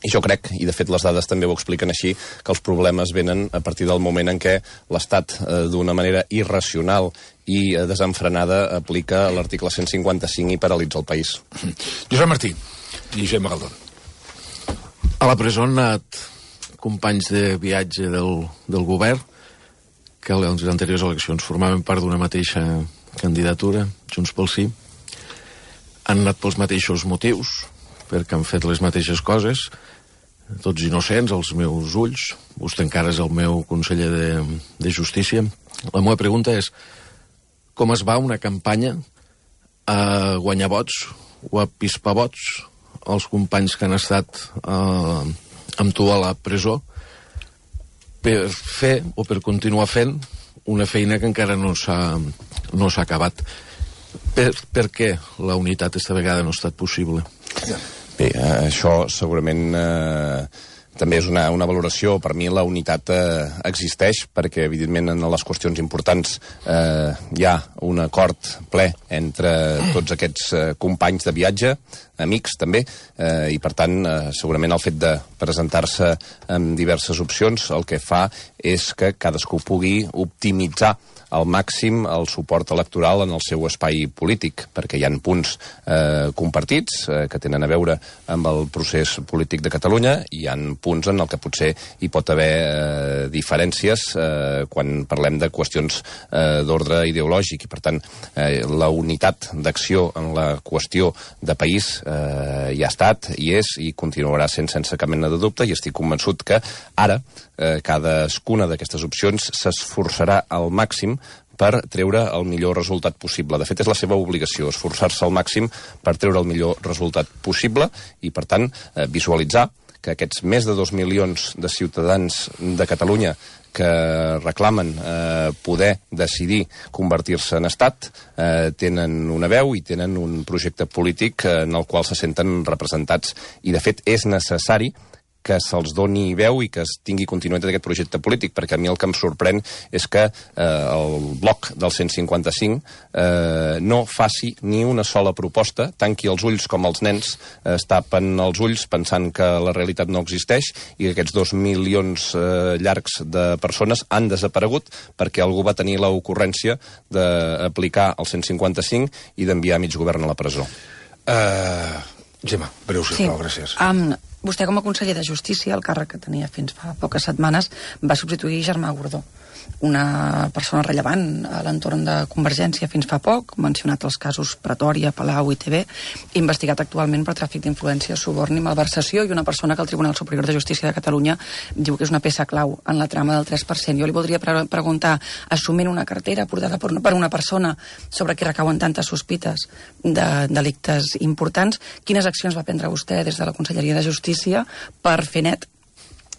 i jo crec, i de fet les dades també ho expliquen així, que els problemes venen a partir del moment en què l'Estat, d'una manera irracional i desenfrenada, aplica l'article 155 i paralitza el país. Josep Martí i Josep Magaldón. A la presó han anat companys de viatge del govern que en les anteriors eleccions formaven part d'una mateixa candidatura, Junts pel Sí. Han anat pels mateixos motius, perquè han fet les mateixes coses, tots innocents, als meus ulls. Vostè encara és el meu conseller de Justícia. La meva pregunta és com es va una campanya a guanyar vots o a pispar vots als companys que han estat amb tu a la presó per fer o per continuar fent una feina que encara no s'ha acabat. Per què la unitat esta vegada no ha estat possible? Bé, això segurament també és una valoració. Per mi la unitat existeix perquè, evidentment, en les qüestions importants hi ha un acord ple entre tots aquests companys de viatge, amics també, i per tant segurament el fet de presentar-se amb diverses opcions el que fa és que cadascú pugui optimitzar al màxim el suport electoral en el seu espai polític, perquè hi ha punts compartits que tenen a veure amb el procés polític de Catalunya i hi ha punts en el que potser hi pot haver diferències quan parlem de qüestions d'ordre ideològic i, per tant, la unitat d'acció en la qüestió de país hi ha estat, hi és i continuarà sent sense cap mena de dubte, i estic convençut que ara cadascuna d'aquestes opcions s'esforçarà al màxim per treure el millor resultat possible. De fet, és la seva obligació, esforçar-se al màxim per treure el millor resultat possible i, per tant, visualitzar que aquests més de 2 milions de ciutadans de Catalunya que reclamen poder decidir convertir-se en estat tenen una veu i tenen un projecte polític en el qual se senten representats. I, de fet, és necessari que se'ls doni veu i que es tingui continuïtat d'aquest projecte polític, perquè a mi el que em sorprèn és que el bloc del 155 no faci ni una sola proposta, tanqui els ulls com els nens es tapen els ulls pensant que la realitat no existeix i que aquests 2 milions llargs de persones han desaparegut perquè algú va tenir l'ocurrència d'aplicar el 155 i d'enviar mig govern a la presó. Gemma, breu, sisplau, gràcies. Vostè, com a conseller de Justícia, el càrrec que tenia fins fa poques setmanes, va substituir Germà Gordó, una persona rellevant a l'entorn de Convergència fins fa poc, mencionat els casos Pretòria, Palau i TV, investigat actualment per tràfic d'influència, suborn i malversació, i una persona que el Tribunal Superior de Justícia de Catalunya diu que és una peça clau en la trama del 3%. Jo li voldria preguntar, assumint una cartera portada per una persona sobre qui recauen tantes sospites de delictes importants, quines accions va prendre vostè des de la Conselleria de Justícia per fer net,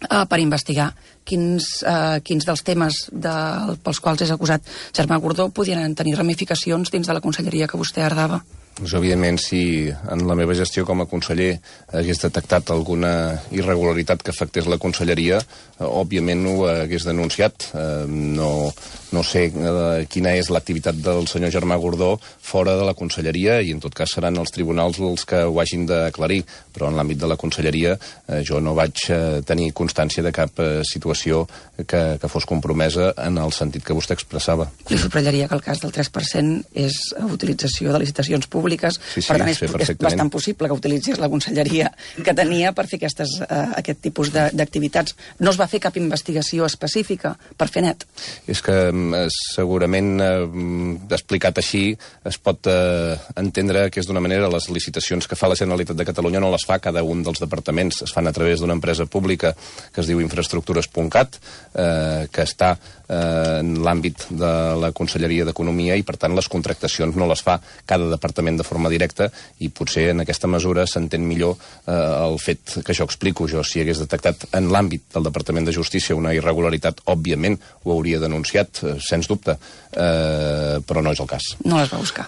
per investigar quins dels temes pels quals és acusat Germà Gordó podien tenir ramificacions dins de la conselleria que vostè herdava? Doncs, evidentment, si en la meva gestió com a conseller hagués detectat alguna irregularitat que afectés la conselleria, òbviament ho hagués denunciat. No sé quina és l'activitat del senyor Germà Gordó fora de la conselleria i en tot cas seran els tribunals els que ho hagin d'aclarir, però en l'àmbit de la conselleria jo no vaig tenir constància de cap situació que fos compromesa en el sentit que vostè expressava. Li subratllaria que el cas del 3% és utilització de licitacions públiques, sí, per tant és bastant possible que utilitzés la conselleria que tenia per fer aquest tipus d'activitats. No es va fer cap investigació específica per fer net? És que segurament explicat així es pot entendre que és d'una manera les licitacions que fa la Generalitat de Catalunya no les fa cada un dels departaments, es fan a través d'una empresa pública que es diu Infraestructures.cat, que està en l'àmbit de la Conselleria d'Economia i per tant les contractacions no les fa cada departament de forma directa i potser en aquesta mesura s'entén millor el fet que jo explico. Jo si hagués detectat en l'àmbit del Departament de Justícia una irregularitat, òbviament ho hauria denunciat, sens dubte, però no és el cas. No les va buscar.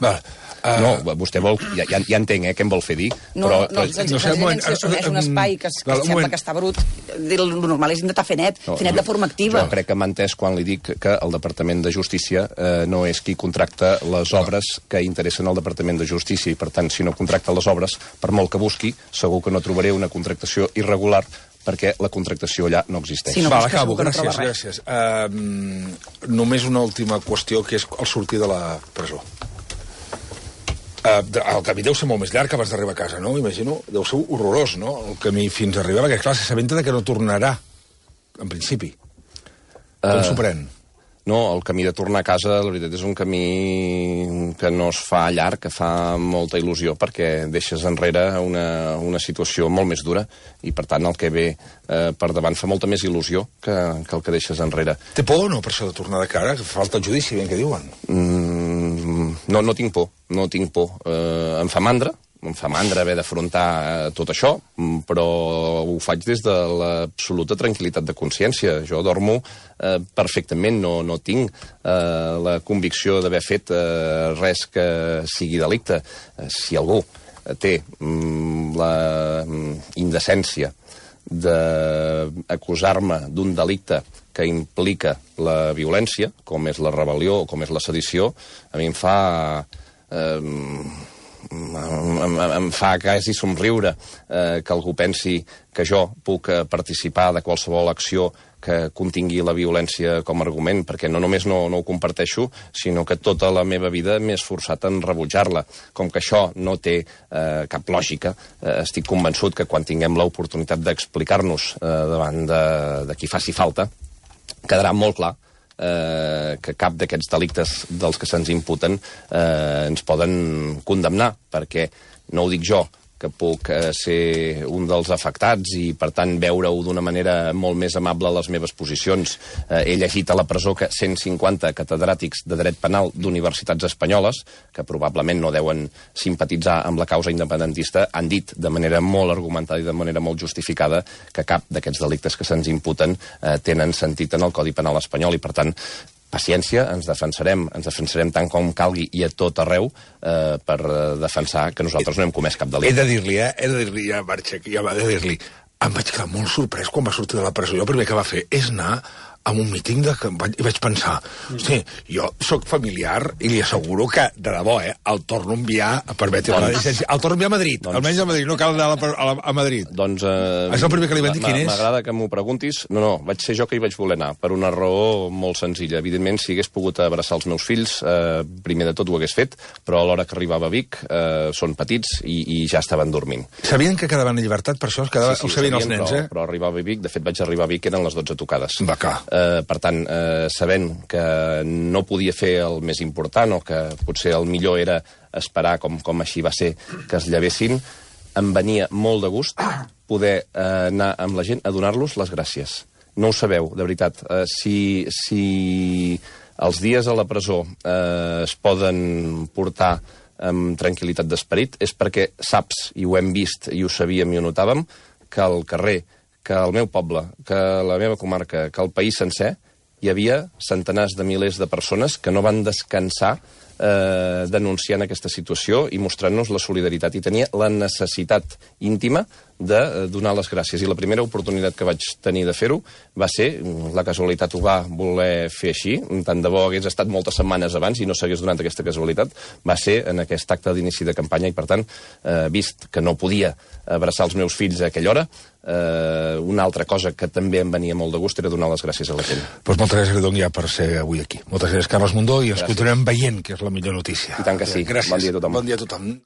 No, vostè vol... Ja entenc, què em vol fer dir? President, si assumeix un espai que sembla que està brut, el normal és intentar fer net de forma activa. Jo crec que m'ha entès quan li dic que el Departament de Justícia no és qui contracta les obres que interessen al Departament de Justícia i, per tant, si no contracta les obres, per molt que busqui, segur que no trobaré una contractació irregular perquè la contractació allà no existeix. Acabo, gràcies. Només una última qüestió, que és el sortir de la presó. El camí deu ser molt més llarg abans d'arribar a casa, no? Imagino, deu ser horrorós, no? El camí fins a arribar, perquè clar, s'assabenta que no tornarà, en principi. Com s'ho pren? No, el camí de tornar a casa, la veritat, és un camí que no es fa llarg, que fa molta il·lusió, perquè deixes enrere una situació molt més dura i, per tant, el que ve per davant fa molta més il·lusió que el que deixes enrere. Té por o no, per això de tornar de cara? Falta el judici, ben que diuen. No tinc por, no tinc por. Em fa mandra haver d'afrontar tot això, però ho faig des de l'absoluta tranquil·litat de consciència. Jo dormo perfectament, no tinc la convicció d'haver fet res que sigui delicte. Si algú té la indecència d'acusar-me d'un delicte que implica la violència, com és la rebel·lió o com és la sedició, a mi em fa em fa quasi somriure que algú pensi que jo puc participar de qualsevol acció que contingui la violència com a argument, perquè no només no ho comparteixo, sinó que tota la meva vida m'he esforçat en rebutjar-la. Com que això no té cap lògica, estic convençut que quan tinguem l'oportunitat d'explicar-nos davant de qui faci falta, quedarà molt clar que cap d'aquests delictes dels que se'ns imputen ens poden condemnar, perquè no ho dic jo, que puc ser un dels afectats i, per tant, veure-ho d'una manera molt més amable a les meves posicions. He llegit a la presó que 150 catedràtics de dret penal d'universitats espanyoles, que probablement no deuen simpatitzar amb la causa independentista, han dit de manera molt argumentada i de manera molt justificada que cap d'aquests delictes que se'ns imputen tenen sentit en el Codi Penal espanyol i, per tant, paciència, ens defensarem tant com calgui i a tot arreu per defensar que nosaltres no hem comès cap delicte. He de dir-li, ja m'ha de dir-li, em vaig quedar molt sorprès quan va sortir de la presó. Jo el primer que va fer és anar a un míting i vaig pensar, hosti, jo sóc familiar i li asseguro que, de debò, el torno a enviar a permetre la llicència. El torno a enviar a Madrid, almenys a Madrid, no cal anar a Madrid. Doncs... És el primer que li van dir, quin és? M'agrada que m'ho preguntis. No, vaig ser jo que hi vaig voler anar, per una raó molt senzilla. Evidentment, si hagués pogut abraçar els meus fills, primer de tot ho hagués fet, però a l'hora que arribava a Vic són petits i ja estaven dormint. Sabien que quedaven en llibertat, per això? Ho sabien els nens, però arribava a Vic, de fet vaig arribar a Vic, eren les 12 tocades. Va, clar. Per tant, sabent que no podia fer el més important o que potser el millor era esperar, com així va ser, que es llevessin, em venia molt de gust poder anar amb la gent a donar-los les gràcies. No ho sabeu, de veritat. Si els dies a la presó es poden portar amb tranquil·litat d'esperit, és perquè saps, i ho hem vist i ho sabíem i ho notàvem, que al carrer, que al meu poble, que a la meva comarca, que al país sencer, hi havia centenars de milers de persones que no van descansar denunciant aquesta situació i mostrant-nos la solidaritat. I tenia la necessitat íntima de donar les gràcies. I la primera oportunitat que vaig tenir de fer-ho va ser, la casualitat ho va voler fer així, tant de bo hagués estat moltes setmanes abans i no s'hagués donat aquesta casualitat, va ser en aquest acte d'inici de campanya i, per tant, vist que no podia abraçar els meus fills a aquella hora, una altra cosa que també em venia molt de gust era donar les gràcies a la gent. Doncs moltes gràcies, Gredong, ja per ser avui aquí. Moltes gràcies, Carles Mundó, i ens continuem veient, que és la millor notícia. I tant que sí. Gràcies. Bon dia a tothom. Bon dia a tothom.